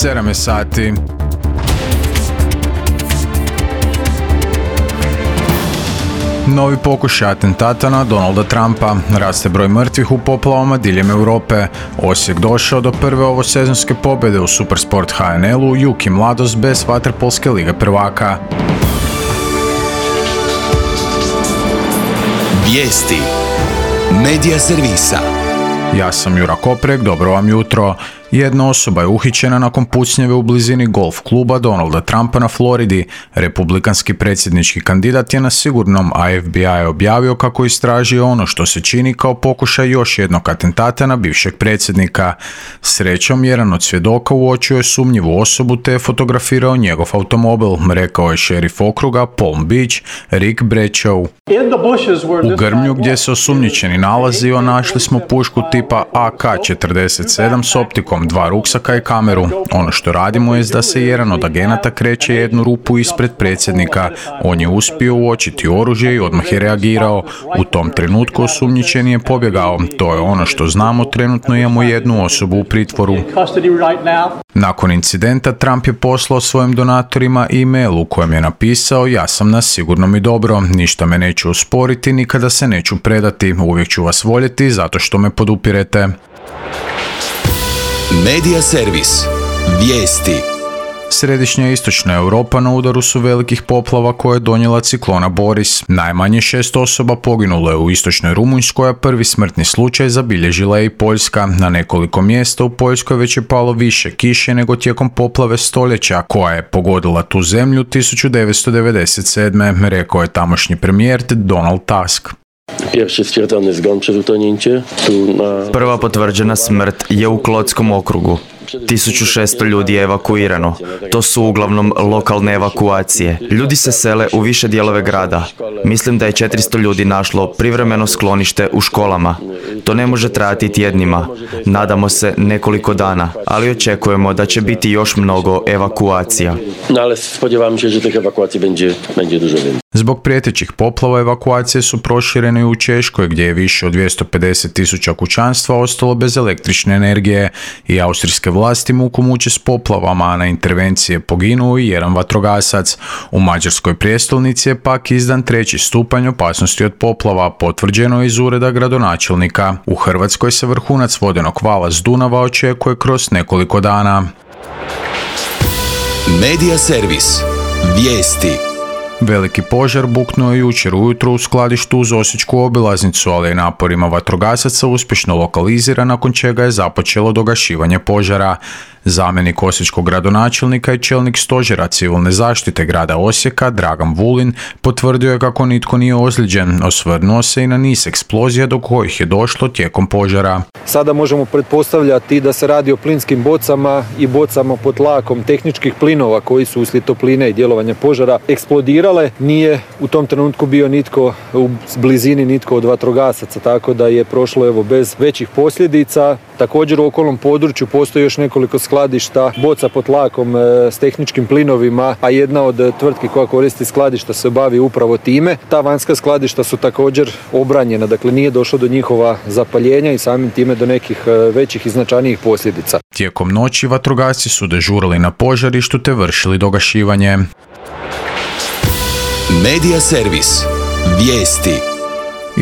7 sati. Novi pokušaj atentata na Donalda Trumpa. Raste broj mrtvih u poplavama diljem Europe. Osijek došao do prve ovosezonske pobjede u Supersport HNL-u, Juki mladost bez vaterpolske lige prvaka. Vijesti Medija servisa. Ja sam Jura Koprek, dobro vam jutro. Jedna osoba je uhićena nakon pucnjeve u blizini golf kluba Donalda Trumpa na Floridi. Republikanski predsjednički kandidat je na sigurnom, a FBI je objavio kako istražuje ono što se čini kao pokušaj još jednog atentata na bivšeg predsjednika. Srećom, jedan od svjedoka uočio je sumnjivu osobu te je fotografirao njegov automobil, rekao je šerif okruga Palm Beach Rick Bradshaw. U grmlju gdje se osumnjičeni nalazio našli smo pušku tipa AK-47 s optikom, 2 ruksaka i kameru. Ono što radimo je da se jedan od agenata kreće jednu rupu ispred predsjednika. On je uspio uočiti oružje i odmah je reagirao. U tom trenutku osumnjičeni je pobjegao. To je ono što znamo, trenutno imamo jednu osobu u pritvoru. Nakon incidenta Trump je poslao svojim donatorima e-mail u kojem je napisao: ja sam na sigurnom i dobro, ništa me neću osporiti, nikada se neću predati, uvijek ću vas voljeti zato što me podupirete. Medija servis. Vijesti. Središnja i istočna Europa na udaru su velikih poplava koje je donijela ciklona Boris. Najmanje 6 osoba poginulo je u istočnoj Rumunjskoj, a prvi smrtni slučaj zabilježila je i Poljska. Na nekoliko mjesta u Poljskoj već je palo više kiše nego tijekom poplave stoljeća koja je pogodila tu zemlju 1997. rekao je tamošnji premijer Donald Tusk. Prva potvrđena smrt je u Klotskom okrugu. 1600 ljudi je evakuirano. To su uglavnom lokalne evakuacije. Ljudi se sele u više dijelove grada. Mislim da je 400 ljudi našlo privremeno sklonište u školama. To ne može trajati tjednima. Nadamo se nekoliko dana, ali očekujemo da će biti još mnogo evakuacija. Zbog prijetećih poplava evakuacije su proširene i u Češkoj gdje je više od 250.000 kućanstva ostalo bez električne energije i austrijske vlasti muku muče s poplavama, a na intervencije poginuo i jedan vatrogasac. U Mađarskoj prijestolnici je pak izdan 3. stupanj opasnosti od poplava, potvrđeno iz ureda gradonačelnika. U Hrvatskoj se vrhunac vodenog vala s Dunava očekuje kroz nekoliko dana. Medija servis. Vijesti. Veliki požar buknuo je jučer ujutro u skladištu uz osječku obilaznicu, ali je naporima vatrogasaca uspješno lokaliziran, nakon čega je započelo dogašivanje požara. Zamjenik osječkog gradonačelnika i čelnik stožera civilne zaštite grada Osijeka, Dragan Vulin, potvrdio je kako nitko nije ozlijeđen. Osvrnuo se i na niz eksplozija do kojih je došlo tijekom požara. Sada možemo pretpostavljati da se radi o plinskim bocama i bocama pod tlakom tehničkih plinova koji su uslijed topline i djelovanja požara eksplodirale. Nije u tom trenutku bio nitko u blizini, nitko od vatrogasaca, tako da je prošlo bez većih posljedica. Također u okolnom području postoji još nekoliko skladišta boca pod tlakom s tehničkim plinovima, a jedna od tvrtki koja koristi skladišta se bavi upravo time. Ta vanjska skladišta su također obranjena, dakle nije došlo do njihova zapaljenja i samim time do nekih većih i značajnijih posljedica. Tijekom noći vatrogasci su dežurali na požarištu te vršili dogašivanje. Medija servis. Vijesti.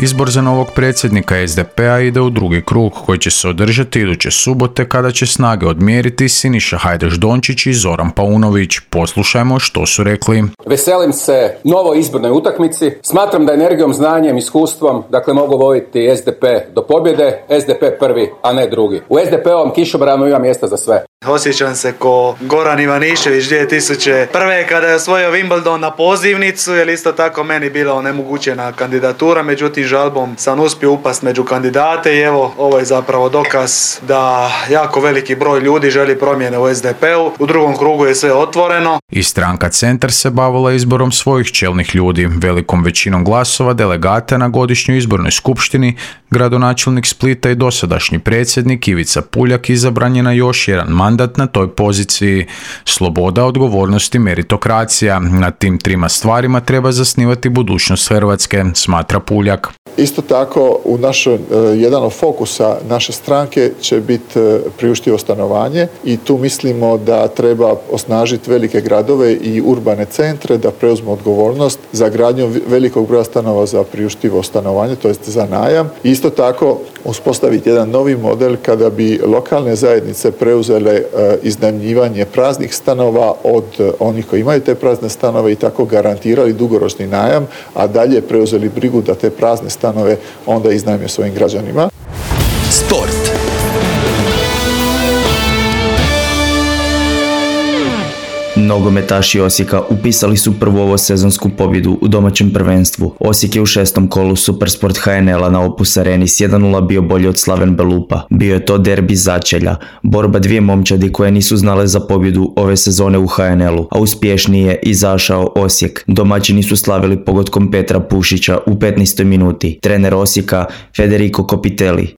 Izbor za novog predsjednika SDP-a ide u drugi krug koji će se održati iduće subote kada će snage odmjeriti Siniša Hajdaš-Dončić i Zoran Paunović. Poslušajmo što su rekli. Veselim se novoj izbornoj utakmici. Smatram da energijom, znanjem, iskustvom, mogu voditi SDP do pobjede. SDP prvi, a ne drugi. U SDP-ovom kišobranu ima mjesta za sve. Osjećam se ko Goran Ivanišević 2001. kada je osvojio Wimbledon na pozivnicu, jer isto tako meni bila onemogućena kandidatura, međutim žalbom sam uspio upast među kandidate i evo, ovo je zapravo dokaz da jako veliki broj ljudi želi promjene u SDP-u. U drugom krugu je sve otvoreno. I stranka Centar se bavila izborom svojih čelnih ljudi. Velikom većinom glasova delegata na godišnjoj izbornoj skupštini gradonačelnik Splita i dosadašnji predsjednik Ivica Puljak izabran je na još jedan mandat na toj poziciji. Sloboda, odgovornost i meritokracija. Na tim trima stvarima treba zasnivati budućnost Hrvatske, smatra Puljak. Isto tako u našoj, jedan od fokusa naše stranke će biti priuštivo stanovanje i tu mislimo da treba osnažiti velike gradove i urbane centre da preuzmu odgovornost za gradnju velikog broja stanova za priuštivo stanovanje, to jest za najam. Isto tako uspostaviti jedan novi model kada bi lokalne zajednice preuzele iznajmljivanje praznih stanova od onih koji imaju te prazne stanove i tako garantirali dugoročni najam, a dalje preuzeli brigu da te prazne stanove onda iznajme svojim građanima. Sport. Nogometaši Osijeka upisali su prvu ovosezonsku pobjedu u domaćem prvenstvu. Osijek je u 6. kolu Supersport HNL-a na Opus Areni s 1:0 bio bolji od Slaven Belupa. Bio je to derbi začelja, borba dvije momčadi koje nisu znale za pobjedu ove sezone u HNL-u, a uspješniji je izašao Osijek. Domaćini su slavili pogodkom Petra Pušića u 15. minuti. Trener Osijeka Federico Copitelli.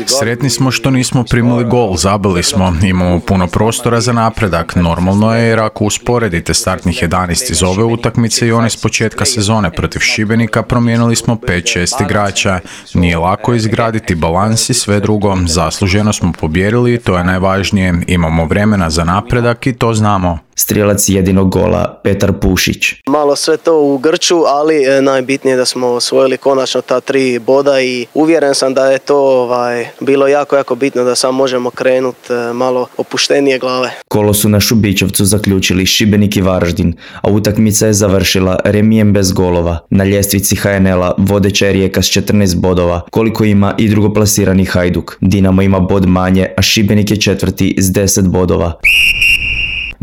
Sretni smo što nismo primili gol, zabili smo, imamo puno prostora za napredak. Normalno je jer ako usporedite startnih 11 iz ove utakmice i one s početka sezone protiv Šibenika, promijenili smo 5-6 igrača. Nije lako izgraditi balans i sve drugo. Zasluženo smo pobijedili i to je najvažnije. Imamo vremena za napredak i to znamo. Strijelac jedinog gola Petar Pušić. Malo sve to u grču, ali najbitnije da smo osvojili konačno ta 3 boda i uvjeren sam da je to bilo jako bitno da sad možemo krenuti malo opuštenije glave. Kolo su na Šubićevcu zaključili Šibenik i Varaždin, a utakmica je završila remijem bez golova. Na ljestvici HNL-a vodeća je Rijeka s 14 bodova, koliko ima i drugoplasirani Hajduk. Dinamo ima bod manje, a Šibenik je četvrti s 10 bodova.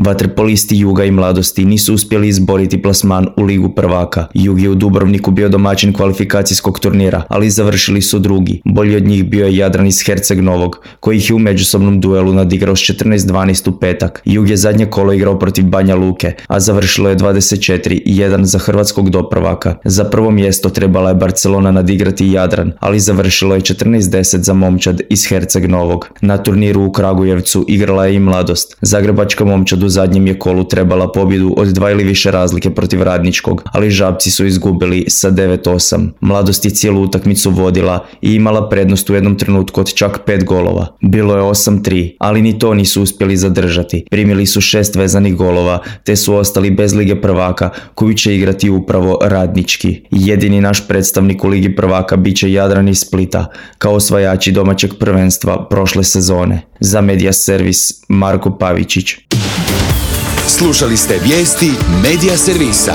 Vaterpolisti Juga i Mladosti nisu uspjeli izboriti plasman u Ligu prvaka. Jug je u Dubrovniku bio domaćin kvalifikacijskog turnira, ali završili su drugi. Bolji od njih bio je Jadran iz Herceg Novog, koji ih je u međusobnom duelu nadigrao s 14-12 u petak. Jug je zadnje kolo igrao protiv Banja Luke, a završilo je 24-1 za hrvatskog doprvaka. Za prvo mjesto trebala je Barcelona nadigrati Jadran, ali završilo je 14-10 za momčad iz Herceg Novog. Na turniru u Kragujevcu igrala je i Mladost. Zagrebačka momčad u zadnjem je kolu trebala pobjedu od 2 ili više razlike protiv Radničkog, ali Žabci su izgubili sa 9-8. Mladost je cijelu utakmicu vodila i imala prednost u jednom trenutku od čak 5 golova. Bilo je 8-3, ali ni to nisu uspjeli zadržati. Primili su 6 vezanih golova, te su ostali bez Lige prvaka, koju će igrati upravo Radnički. Jedini naš predstavnik u Ligi prvaka bit će Jadran iz Splita, kao osvajači domaćeg prvenstva prošle sezone. Za Media Servis Marko Pavičić. Slušali ste vijesti Media Servisa.